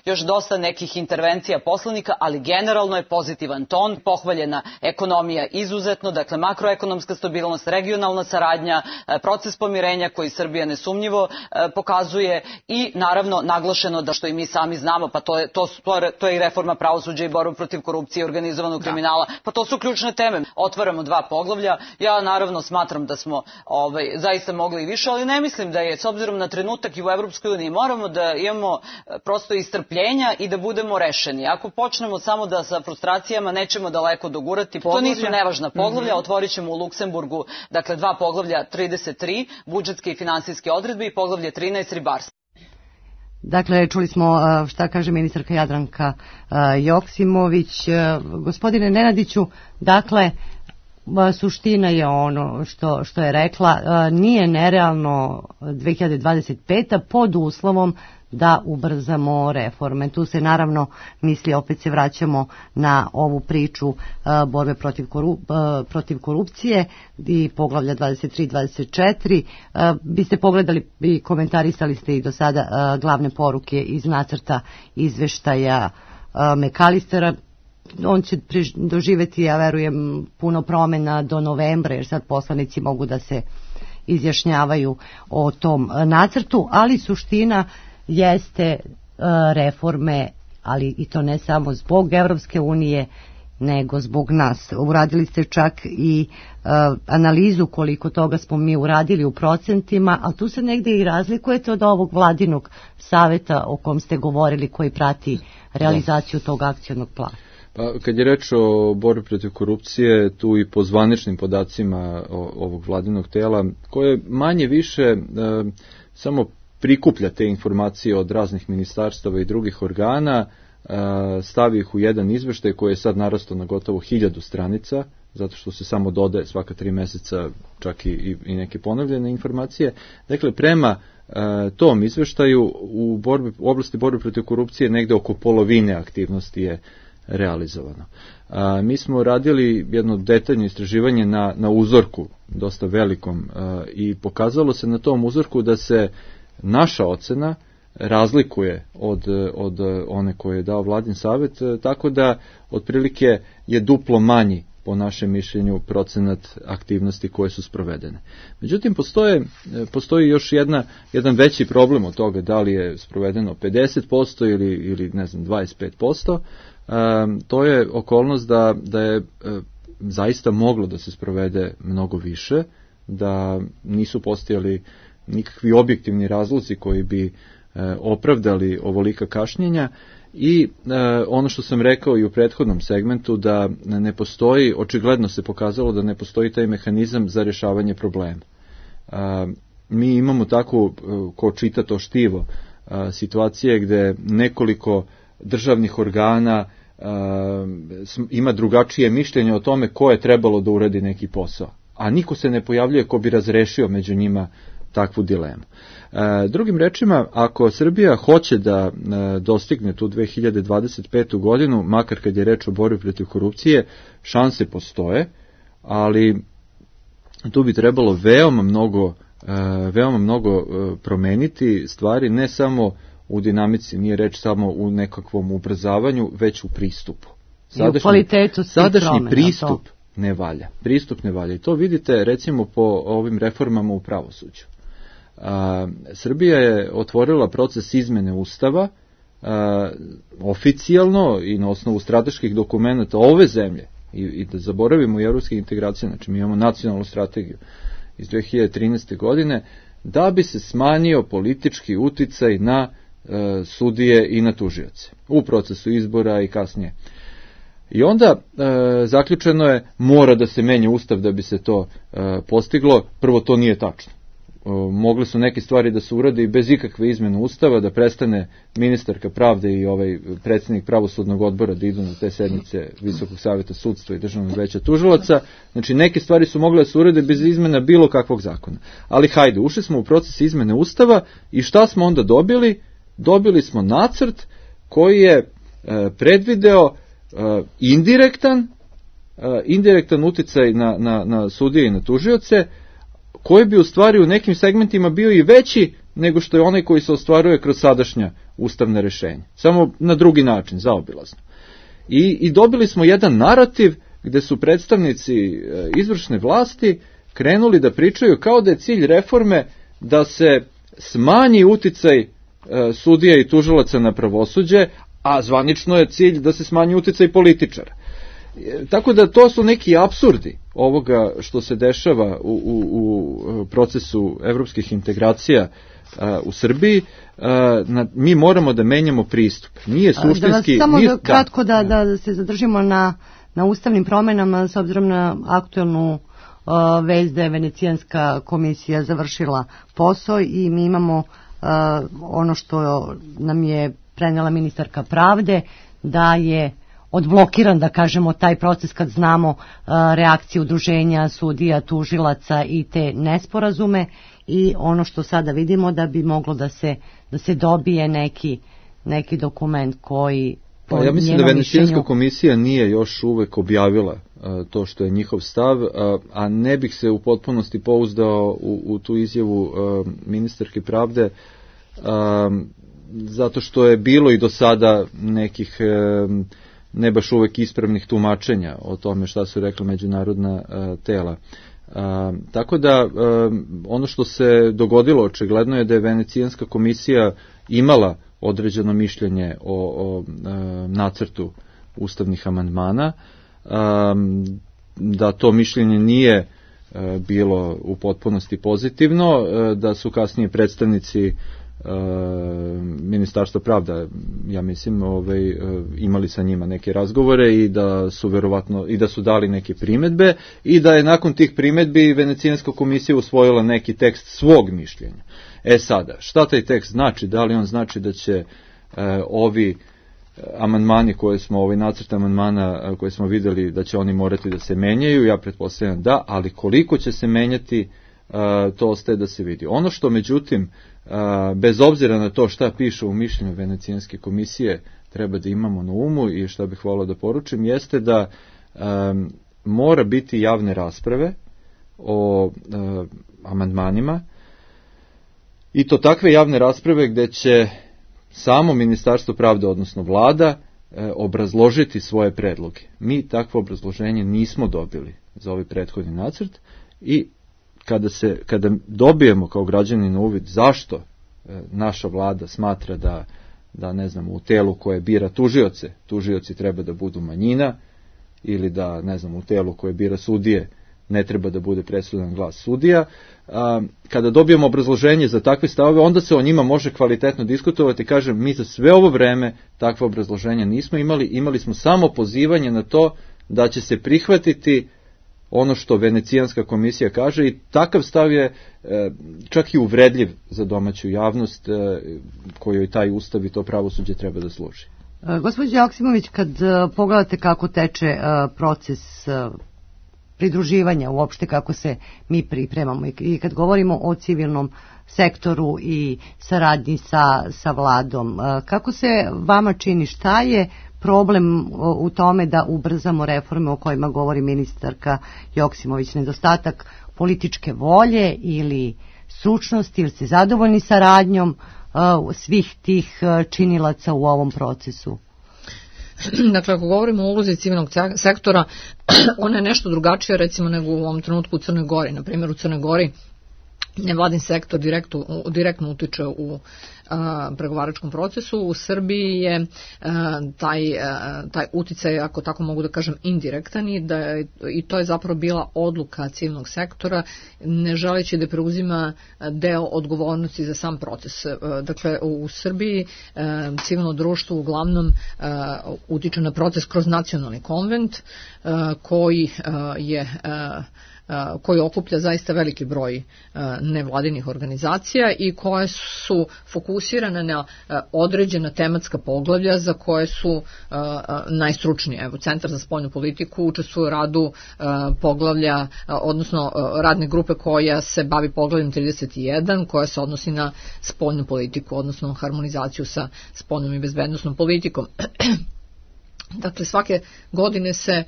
još dosta nekih intervencija poslanika, ali generalno je pozitivan ton, pohvaljena ekonomija izuzetno, dakle makroekonomska stabilnost, regionalna saradnja, proces pomirenja koji Srbija nesumnjivo pokazuje i naravno naglašeno da što i mi sami znamo, pa to je, to, to je i reforma pravosuđa i borba protiv korupcije i organizovanog kriminala, pa to su ključne teme. Otvaramo dva poglavlja, ja naravno smatram da smo ovaj, zaista mogli i više, ali ne mislim da je, s obzirom na trenutak i u Evropskoj uniji, moramo da imamo prosto istrpljenja i da budemo rešeni. Ako počnemo samo da sa frustracijama nećemo daleko dogurati, poglavlja. To nisu nevažna poglavlja, mm-hmm. Otvorit ćemo u Luksemburgu, dakle dva poglavlja trideset tri, budžetske i finansijske odredbe i poglavlje trinaest, ribarstvo. Dakle, čuli smo šta kaže ministarka Jadranka Joksimović. Gospodine Nenadiću, dakle, suština je ono što, što je rekla, nije nerealno dve hiljade dvadeset peta pod uslovom da ubrzamo reforme. Tu se naravno misli, opet se vraćamo na ovu priču uh, borbe protiv, korup, uh, protiv korupcije i poglavlja dvadeset tri dvadeset četiri. Uh, biste pogledali i komentarisali ste i do sada uh, glavne poruke iz nacrta izveštaja uh, McAllistera. On će doživeti, ja verujem, puno promena do novembra, jer sad poslanici mogu da se izjašnjavaju o tom nacrtu, ali suština jeste uh, reforme, ali i to ne samo zbog Evropske unije, nego zbog nas. Uradili ste čak i uh, analizu koliko toga smo mi uradili u procentima, ali tu se negde i razlikujete od ovog vladinog saveta o kom ste govorili, koji prati realizaciju da. tog akcionog plana. Pa, kad je reč o borbi protiv korupcije, tu i po zvaničnim podacima ovog vladinog tela, koje manje više e, samo prikuplja te informacije od raznih ministarstava i drugih organa, e, stavi ih u jedan izveštaj koji je sad narastao na gotovo hiljadu stranica, zato što se samo dodaje svaka tri meseca čak i, i, i neke ponovljene informacije. Dakle, prema e, tom izveštaju u, borbi, u oblasti borbe protiv korupcije negde oko polovine aktivnosti je realizovano. A, mi smo radili jedno detaljno istraživanje na, na uzorku, dosta velikom, a, i pokazalo se na tom uzorku da se naša ocena razlikuje od, od one koje je dao Vladin savet, tako da otprilike je duplo manji po našem mišljenju procenat aktivnosti koje su sprovedene. Međutim, postoje, postoji još jedna, jedan veći problem od toga da li je sprovedeno pedeset posto ili, ili ne znam, dvadeset pet posto. E, to je okolnost da, da je e, zaista moglo da se sprovede mnogo više, da nisu postojali nikakvi objektivni razlozi koji bi e, opravdali ovolika kašnjenja. I e, ono što sam rekao i u prethodnom segmentu, da ne postoji, očigledno se pokazalo da ne postoji taj mehanizam za rješavanje problema. E, mi imamo tako, ko čita to štivo, e, situacije gde nekoliko državnih organa e, ima drugačije mišljenje o tome ko je trebalo da uradi neki posao, a niko se ne pojavljuje ko bi razrešio među njima takvu dilemu. E, drugim rečima, ako Srbija hoće da e, dostigne tu dve hiljade dvadeset petu godinu, makar kad je reč o borbi protiv korupcije, šanse postoje, ali tu bi trebalo veoma mnogo, e, veoma mnogo e, promeniti stvari, ne samo u dinamici, nije reč samo u nekakvom ubrzavanju, već u pristupu. Sadašnji, I u kvalitetu sadašnji promena, pristup to. ne valja. Pristup ne valja. I to vidite recimo po ovim reformama u pravosuđu. A, Srbija je otvorila proces izmene Ustava a, oficijalno i na osnovu strateških dokumenta ove zemlje i, i da zaboravimo i evropske integracije, znači mi imamo nacionalnu strategiju iz dve hiljade trinaeste. godine, da bi se smanjio politički uticaj na e, sudije i na tužioce u procesu izbora i kasnije. I onda e, zaključeno je mora da se menja ustav da bi se to e, postiglo. Prvo, to nije tačno. E, mogle su neke stvari da se urade i bez ikakve izmene ustava, da prestane ministarka pravde i ovaj predsjednik pravosudnog odbora da idu na te sednice Visokog savjeta sudstva i Državnog veća tužilaca. Znači, neke stvari su mogle da se urade bez izmena bilo kakvog zakona. Ali hajde, ušli smo u proces izmene ustava i šta smo onda dobili? Dobili smo nacrt koji je e, predvideo Uh, indirektan uh, indirektan uticaj na, na, na sudije i na tužioce, koji bi u stvari u nekim segmentima bio i veći nego što je onaj koji se ostvaruje kroz sadašnja ustavna rešenja. Samo na drugi način, zaobilazno. I, i dobili smo jedan narativ gde su predstavnici uh, izvršne vlasti krenuli da pričaju kao da je cilj reforme da se smanji uticaj uh, sudija i tužilaca na pravosuđe, a zvanično je cilj da se smanji uticaj političara. E, tako da to su neki apsurdi ovoga što se dešava u, u, u procesu evropskih integracija a, u Srbiji. A, na, mi moramo da menjamo pristup. Nije suštinski... Da samo nije, da, kratko da, da, da se zadržimo na, na ustavnim promenama s obzirom na aktuelnu uh, vez da je Venecijanska komisija završila posao i mi imamo uh, ono što nam je prenela ministarka pravde, da je odblokiran, da kažemo, taj proces kad znamo uh, reakcije udruženja sudija, tužilaca i te nesporazume, i ono što sada vidimo da bi moglo da se, da se dobije neki, neki dokument koji... Pa ja mislim da Venecijanska komisija nije još uvek objavila uh, to što je njihov stav, uh, a ne bih se u potpunosti pouzdao u, u tu izjavu uh, ministarke pravde, uh, zato što je bilo i do sada nekih e, ne baš uvek ispravnih tumačenja o tome šta su rekla međunarodna e, tela. E, tako da e, ono što se dogodilo očigledno je da je Venecijanska komisija imala određeno mišljenje o, o e, nacrtu ustavnih amandmana, e, da to mišljenje nije e, bilo u potpunosti pozitivno, e, da su kasnije predstavnici Uh, Ministarstvo pravda, ja mislim, ovaj, uh, imali sa njima neke razgovore i da su verovatno i da su dali neke primedbe i da je nakon tih primedbi Venecijanska komisija usvojila neki tekst svog mišljenja. E sada, šta taj tekst znači? Da li on znači da će uh, ovi amandmani koje smo, ovaj nacrt amandmana uh, koje smo videli da će oni morati da se menjaju? Ja pretpostavljam da, ali koliko će se menjati, uh, to ostaje da se vidi. Ono što međutim A, bez obzira na to šta piše u mišljenju Venecijanske komisije treba da imamo na umu i šta bih volao da poručim jeste da a, mora biti javne rasprave o a, amandmanima i to takve javne rasprave gde će samo Ministarstvo pravde, odnosno vlada, a, obrazložiti svoje predloge. Mi takvo obrazloženje nismo dobili za ovaj prethodni nacrt i Kada, se, kada dobijemo kao građani na uvid zašto e, naša vlada smatra da, da ne znam, u telu koje bira tužioce, tužioci treba da budu manjina, ili da, ne znam, u telu koje bira sudije ne treba da bude presudan glas sudija, a, kada dobijemo obrazloženje za takve stavove, onda se o njima može kvalitetno diskutovati. Kažem, mi za sve ovo vreme takve obrazloženja nismo imali, imali smo samo pozivanje na to da će se prihvatiti ono što Venecijanska komisija kaže i takav stav je e, čak i uvredljiv za domaću javnost e, kojoj taj ustav i to pravosuđe treba da služi. E, Gospođo Joksimović, kad e, pogledate kako teče e, proces e, pridruživanja, uopšte kako se mi pripremamo i, i kad govorimo o civilnom sektoru i saradnji sa, sa vladom, e, kako se vama čini, šta je problem u tome da ubrzamo reforme o kojima govori ministarka Joksimović? Nedostatak političke volje ili stručnosti, ili ste zadovoljni saradnjom uh, svih tih uh, činilaca u ovom procesu? Dakle, ako govorimo o ulozi civilnog sektora, ona je nešto drugačija recimo nego u ovom trenutku u Crnoj Gori. Na primjer, u Crnoj Gori nevladin sektor direktno, direktno utiče u pregovaračkom procesu. U Srbiji je taj, taj uticaj, ako tako mogu da kažem, indirektan i, da je, i to je zapravo bila odluka civilnog sektora, ne želeći da preuzima deo odgovornosti za sam proces. Dakle, u Srbiji civilno društvo uglavnom utiče na proces kroz nacionalni konvent koji je koji okuplja zaista veliki broj nevladinih organizacija i koje su fokusirane na određena tematska poglavlja za koje su najstručnije. Evo, Centar za spoljnu politiku učestvuje u radu poglavlja, odnosno radne grupe koja se bavi poglavljem trideset jedan, koja se odnosi na spoljnu politiku, odnosno harmonizaciju sa spoljnom i bezbednosnom politikom. Dakle, svake godine se e,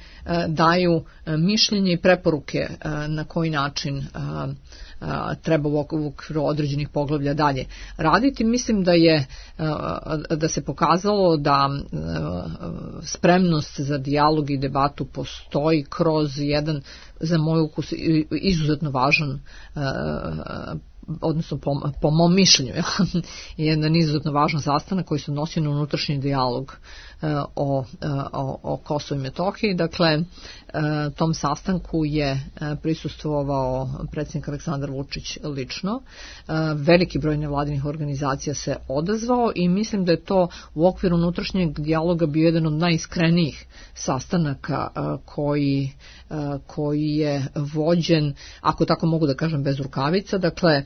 daju e, mišljenje i preporuke e, na koji način e, e, treba u okviru određenih poglavlja dalje raditi. Mislim da je e, da se pokazalo da e, spremnost za dijalog i debatu postoji kroz jedan, za moj ukus, izuzetno važan e, odnosno po, po mom mišljenju je jedan izuzetno važan sastanak koji se odnosi na unutrašnji dijalog o, o, o Kosovu i Metohiji. Dakle, tom sastanku je prisustvovao predsjednik Aleksandar Vučić lično. Veliki broj nevladinih organizacija se odazvao i mislim da je to u okviru unutrašnjeg dijaloga bio jedan od najiskrenijih sastanaka koji, koji je vođen, ako tako mogu da kažem, bez rukavica. Dakle,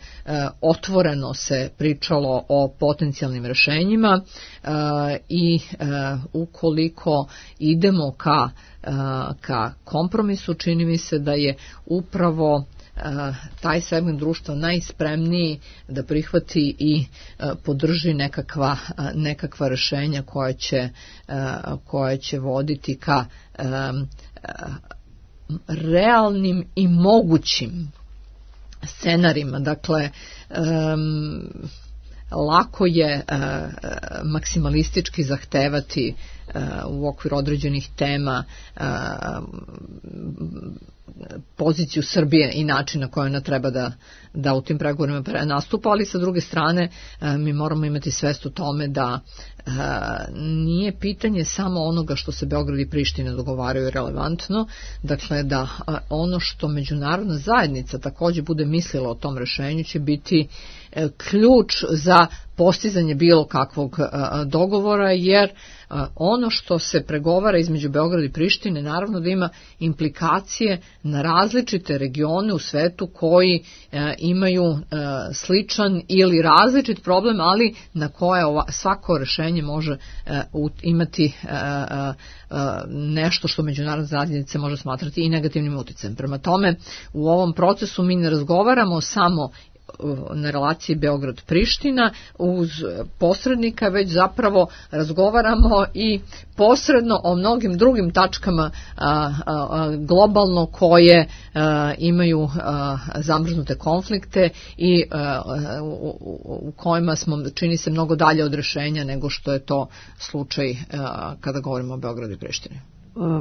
otvoreno se pričalo o potencijalnim rešenjima i ukoliko idemo ka, ka kompromisu, čini mi se da je upravo taj segment društva najspremniji da prihvati i podrži nekakva, nekakva rešenja koja će, koja će voditi ka realnim i mogućim scenarima. Dakle, um, lako je uh, maksimalistički zahtevati uh, u okviru određenih tema uh, poziciju Srbije i način na koji ona treba da, da u tim pregovorima nastupa, ali sa druge strane mi moramo imati svest o tome da nije pitanje samo onoga što se Beograd i Priština dogovaraju relevantno, dakle da ono što međunarodna zajednica takođe bude mislila o tom rešenju će biti ključ za postizanje bilo kakvog dogovora, jer ono što se pregovara između Beograda i Prištine naravno da ima implikacije na različite regione u svetu koji imaju sličan ili različit problem, ali na koje svako rešenje može imati nešto što međunarodna zajednica može smatrati i negativnim uticajem. Prema tome, u ovom procesu mi ne razgovaramo samo na relaciji Beograd-Priština uz posrednika, već zapravo razgovaramo i posredno o mnogim drugim tačkama a, a, globalno koje a, imaju a, zamrznute konflikte i a, u, u kojima smo, čini se, mnogo dalje od rešenja nego što je to slučaj a, kada govorimo o Beogradu i Prištini.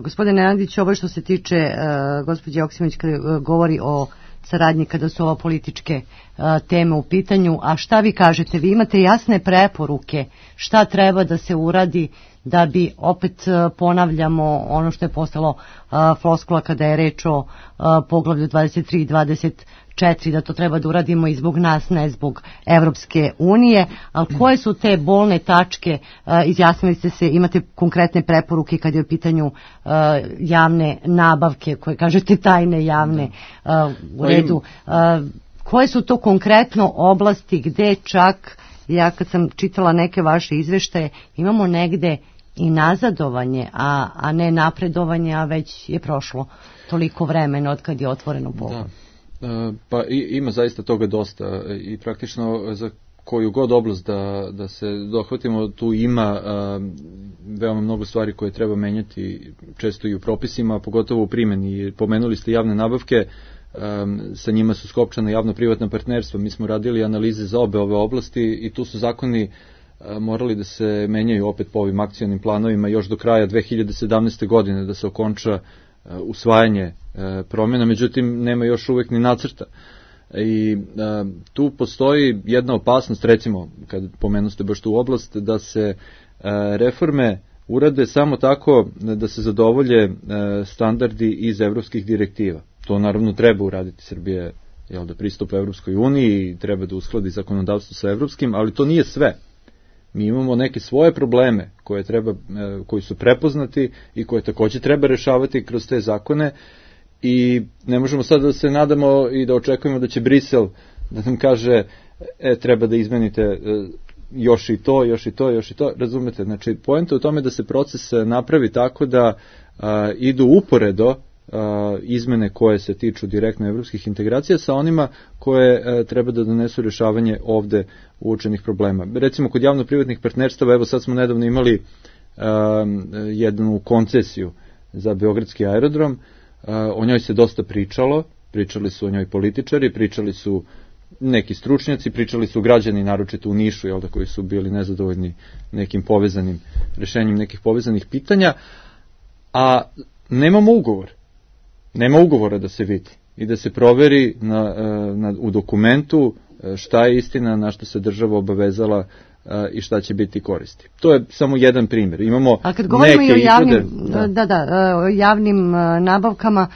Gospodine Andić, ovo što se tiče uh, gospođe Joksimović kada govori o saradnji kada su ova političke uh, teme u pitanju, a šta vi kažete? Vi imate jasne preporuke šta treba da se uradi da bi, opet uh, ponavljamo ono što je postalo uh, floskula kada je reč o uh, poglavlju dvadeset tri i dvadeset četiri, da to treba da uradimo i zbog nas, ne zbog Evropske unije, ali koje su te bolne tačke? Uh, izjasnili ste se, imate konkretne preporuke kad je u pitanju uh, javne nabavke, koje kažete tajne javne, uh, u redu. Uh, koje su to konkretno oblasti gde čak, ja kad sam čitala neke vaše izveštaje, imamo negde i nazadovanje, a, a ne napredovanje, a već je prošlo toliko vremena od kad je otvoreno poglavlje. Da. Pa i, ima zaista toga dosta i praktično za koju god oblast da, da se dohvatimo, tu ima a, veoma mnogo stvari koje treba menjati, često i u propisima, pogotovo u primjeni. Pomenuli ste javne nabavke, a, sa njima su skopčana javno-privatna partnerstva. Mi smo radili analize za obe ove oblasti i tu su zakoni a, morali da se menjaju opet po ovim akcionim planovima još do kraja dve hiljade sedamnaeste. godine, da se okonča usvajanje promjena, međutim nema još uvek ni nacrta. I a, tu postoji jedna opasnost, recimo, kad pomenuste baš tu oblast, da se a, reforme urade samo tako da se zadovolje a, standardi iz evropskih direktiva. To naravno treba uraditi. Srbija jel da pristupa Evropskoj uniji i treba da uskladi zakonodavstvo sa evropskim, ali to nije sve. Mi imamo neke svoje probleme koje treba, koji su prepoznati i koje takođe treba rešavati kroz te zakone i ne možemo sad da se nadamo i da očekujemo da će Brisel da nam kaže e, treba da izmenite još i to, još i to, još i to, razumete? Znači, poenta je u tome da se proces napravi tako da a, idu uporedo a, izmene koje se tiču direktno evropskih integracija sa onima koje a, treba da donesu rješavanje ovde uočenih problema. Recimo, kod javno-privatnih partnerstava, evo sad smo nedavno imali a, jednu koncesiju za Beogradski aerodrom, a, o njoj se dosta pričalo, pričali su o njoj političari, pričali su neki stručnjaci, pričali su građani, naročito u Nišu, jel da, koji su bili nezadovoljni nekim povezanim rešenjem nekih povezanih pitanja, a nemamo ugovor. Nema ugovora da se vidi i da se proveri na, na, u dokumentu šta je istina, na što se država obavezala i šta će biti koristi. To je samo jedan primjer. Imamo a kad govorimo neke i o javnim, izvode, da. Da, da, o javnim nabavkama,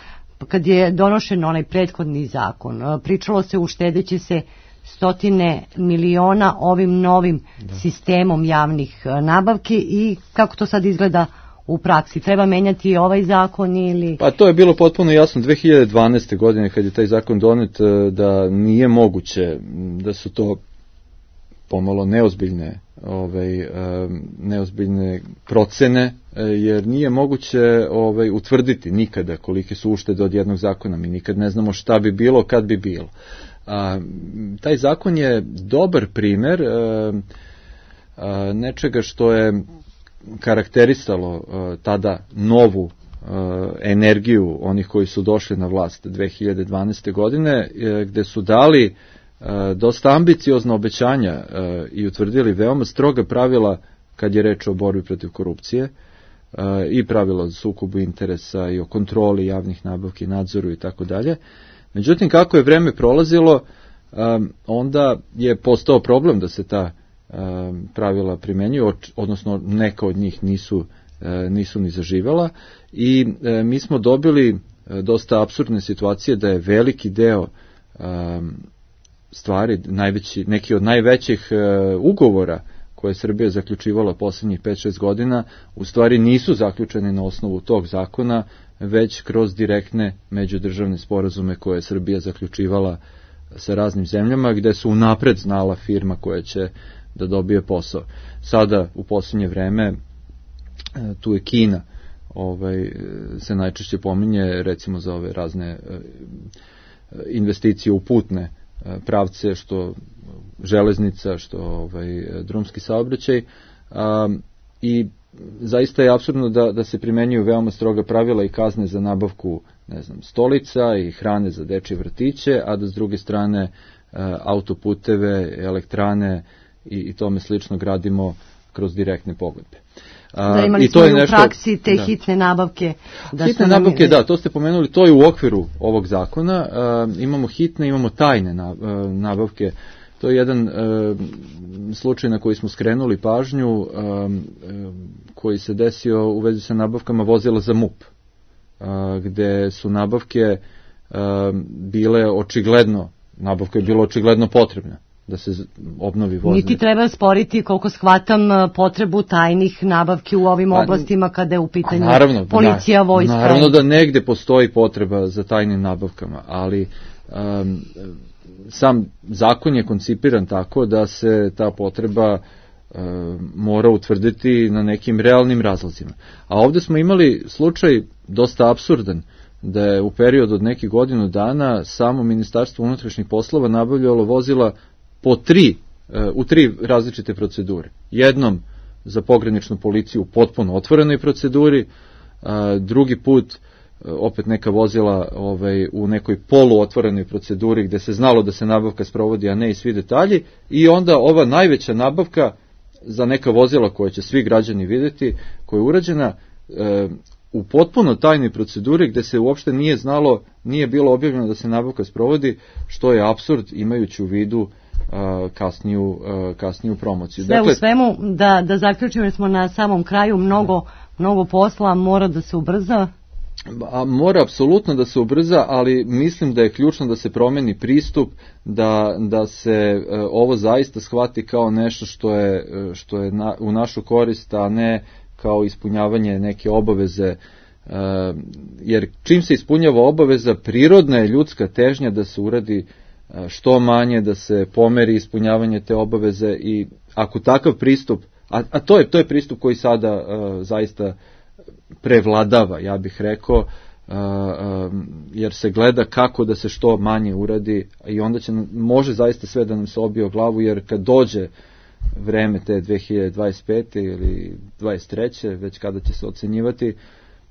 kad je donošen onaj prethodni zakon, pričalo se uštedeći se stotine miliona ovim novim da. sistemom javnih nabavki i kako to sad izgleda u praksi? Treba menjati ovaj zakon ili... Pa to je bilo potpuno jasno dve hiljade dvanaeste. godine kad je taj zakon donet, da nije moguće, da su to pomalo neozbiljne ovaj neozbiljne procene, jer nije moguće ovaj utvrditi nikada kolike su uštede od jednog zakona. Mi nikad ne znamo šta bi bilo kad bi bilo. A, taj zakon je dobar primer a, a, nečega što je karakterisalo a, tada novu a, energiju onih koji su došli na vlast dve hiljade dvanaeste. godine, a, gde su dali dosta ambiciozna obećanja i utvrdili veoma stroga pravila kad je reč o borbi protiv korupcije i pravila o sukobu interesa i o kontroli javnih nabavki, nadzoru i tako dalje. Međutim, kako je vreme prolazilo, onda je postao problem da se ta pravila primenjuju, odnosno neka od njih nisu, nisu ni zaživela i mi smo dobili dosta apsurdne situacije da je veliki deo stvari, najveći, neki od najvećih e, ugovora koje je Srbija zaključivala posljednjih pet šest godina, u stvari nisu zaključeni na osnovu tog zakona, već kroz direktne međudržavne sporazume koje je Srbija zaključivala sa raznim zemljama, gde su unapred znala firma koja će da dobije posao. Sada, u posljednje vreme, e, tu je Kina, ovaj, se najčešće pominje, recimo za ove razne e, investicije u putne pravce, što železnica, što ovaj drumski saobraćaj, a, i zaista je apsurdno da, da se primenjuju veoma stroga pravila i kazne za nabavku, ne znam, stolica i hrane za dečje vrtiće, a da s druge strane a, autoputeve, elektrane i, i tome slično gradimo kroz direktne pogodbe. Da, imali smo i u praksi te da. hitne nabavke. Da hitne nabavke, da, to ste pomenuli, to je u okviru ovog zakona. Uh, imamo hitne, imamo tajne nabavke. To je jedan uh, slučaj na koji smo skrenuli pažnju, uh, koji se desio u vezi sa nabavkama vozila za M U P, uh, gde su nabavke uh, bile očigledno, nabavka je bila očigledno potrebna da se obnovi vozilo. Niti treba sporiti, koliko shvatam, potrebu tajnih nabavki u ovim a, oblastima kada je u pitanju naravno, policija, vojska. Naravno da negde postoji potreba za tajnim nabavkama, ali um, sam zakon je koncipiran tako da se ta potreba um, mora utvrditi na nekim realnim razlozima. A ovde smo imali slučaj dosta apsurdan, da je u periodu od nekih godinu dana samo Ministarstvo unutrašnjih poslova nabavljalo vozila po tri, u tri različite procedure. Jednom za pograničnu policiju u potpuno otvorenoj proceduri, drugi put opet neka vozila ovaj, u nekoj poluotvorenoj proceduri gde se znalo da se nabavka sprovodi, a ne i svi detalji, i onda ova najveća nabavka za neka vozila koje će svi građani videti, koja je urađena u potpuno tajnoj proceduri gde se uopšte nije znalo, nije bilo objavljeno da se nabavka sprovodi, što je apsurd imajući u vidu uh, kasniju, uh, kasniju promociju. Sve dakle, u svemu, da, da zaključimo, jer smo na samom kraju, mnogo, mnogo posla, mora da se ubrza. A mora apsolutno da se ubrza, ali mislim da je ključno da se promeni pristup, da, da se uh, ovo zaista shvati kao nešto što je, što je na, u našu korist, a ne kao ispunjavanje neke obaveze, uh, jer čim se ispunjava obaveza, prirodna je ljudska težnja da se uradi uh, što manje, da se pomeri ispunjavanje te obaveze, i ako takav pristup, a, a to je to je pristup koji sada uh, zaista prevladava, ja bih rekao, uh, uh, jer se gleda kako da se što manje uradi, i onda će, može zaista sve da nam se obije o glavu, jer kad dođe vreme te dve hiljade dvadeset pete ili dvadeset treće, već kada će se ocenjivati,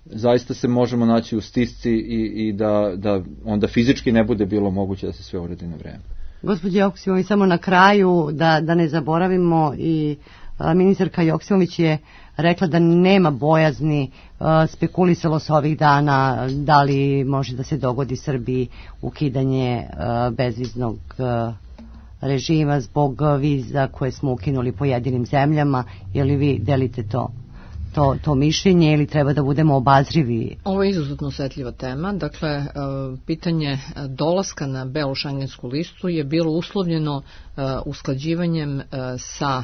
zaista se možemo naći u stisci i, i da, da onda fizički ne bude bilo moguće da se sve uradi na vreme. Gospođo Joksimović, samo na kraju da, da ne zaboravimo, i a, ministarka Joksimović je rekla da nema bojazni, a, spekulisalo se ovih dana da li može da se dogodi Srbiji ukidanje a, bezviznog a, režima zbog viza koje smo ukinuli pojedinim zemljama. Je li vi delite to, to, to mišljenje, ili treba da budemo obazrivi? Ovo je izuzetno osetljiva tema. Dakle, pitanje dolaska na belu šengensku listu je bilo uslovljeno usklađivanjem sa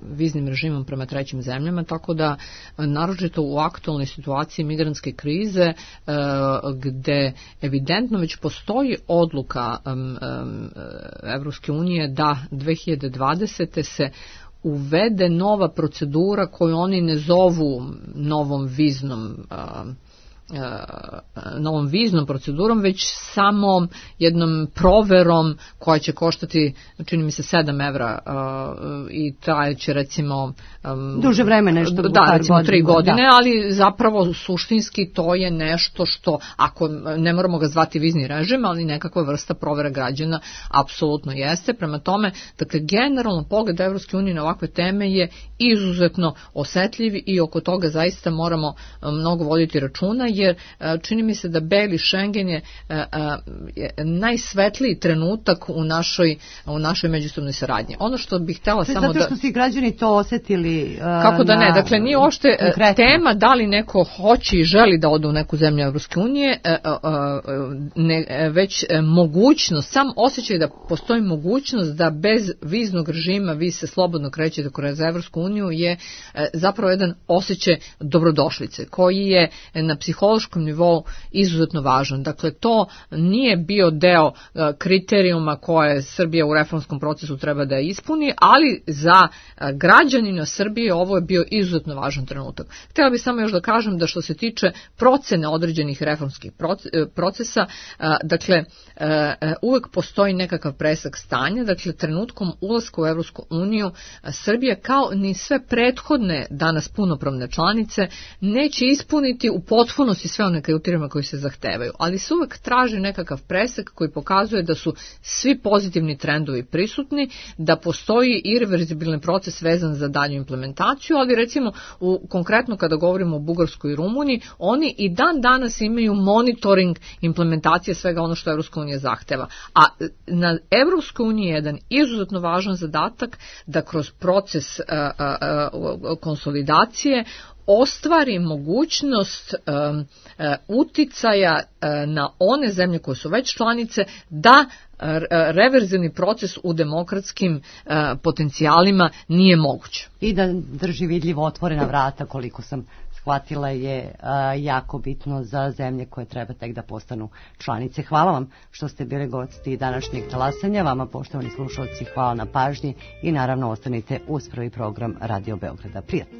viznim režimom prema trećim zemljama, tako da naročito u aktualnoj situaciji migrantske krize, gde evidentno već postoji odluka Evropske unije da dve hiljade dvadesete se uvede nova procedura koju oni ne zovu novom viznom uh, novom viznom procedurom, već samo jednom proverom koja će koštati, čini mi se, sedam evra uh, i trajeće recimo um, duže vreme, nešto da, recimo tri godine, da. Ali zapravo suštinski to je nešto što, ako ne moramo ga zvati vizni režim, ali nekakva vrsta provera građana apsolutno jeste. Prema tome, dakle, generalno pogled Evropske unije na ovakve teme je izuzetno osetljiv i oko toga zaista moramo mnogo voditi računa, jer čini mi se da beli Schengen je, je najsvetliji trenutak u našoj, u našoj međusobnoj saradnji. Ono što bih htjela samo da... Zato što su i građani to osetili. Kako da ne, dakle nije uopšte tema da li neko hoće i želi da ode u neku zemlju Evropske unije, ne, već mogućnost, sam osjećaj da postoji mogućnost da bez viznog režima vi se slobodno krećete kroz Evropsku uniju je zapravo jedan osjećaj dobrodošlice koji je na psihološkom nivou izuzetno važan. Dakle, to nije bio deo kriterijuma koje Srbija u reformskom procesu treba da ispuni, ali za građanina Srbije ovo je bio izuzetno važan trenutak. Htjela bih samo još da kažem da što se tiče procene određenih reformskih procesa, dakle, uvek postoji nekakav presek stanja, dakle, trenutkom ulaska u Evropsku uniju Srbija, kao ni sve prethodne danas punopravne članice, neće ispuniti u potpunosti sve one kriterijume koji se zahtevaju, ali se uvek traži nekakav presek koji pokazuje da su svi pozitivni trendovi prisutni, da postoji irreverzibilni proces vezan za dalju implementaciju, ali recimo u, konkretno kada govorimo o Bugarskoj i Rumuniji, oni i dan danas imaju monitoring implementacije svega ono što Evropska unija zahteva. A na Evropskoj uniji je jedan izuzetno važan zadatak da kroz proces a, a, a, konsolidacije ostvari mogućnost um, uh, uticaja uh, na one zemlje koje su već članice da uh, reverzivni proces u demokratskim uh, potencijalima nije moguć. I da drži vidljivo otvorena vrata, koliko sam shvatila, je uh, jako bitno za zemlje koje treba tek da postanu članice. Hvala vam što ste bili gosti današnjeg talasanja. Vama, poštovani slušalci, hvala na pažnji i naravno ostanite uz prvi program Radio Beograda. Prijatno.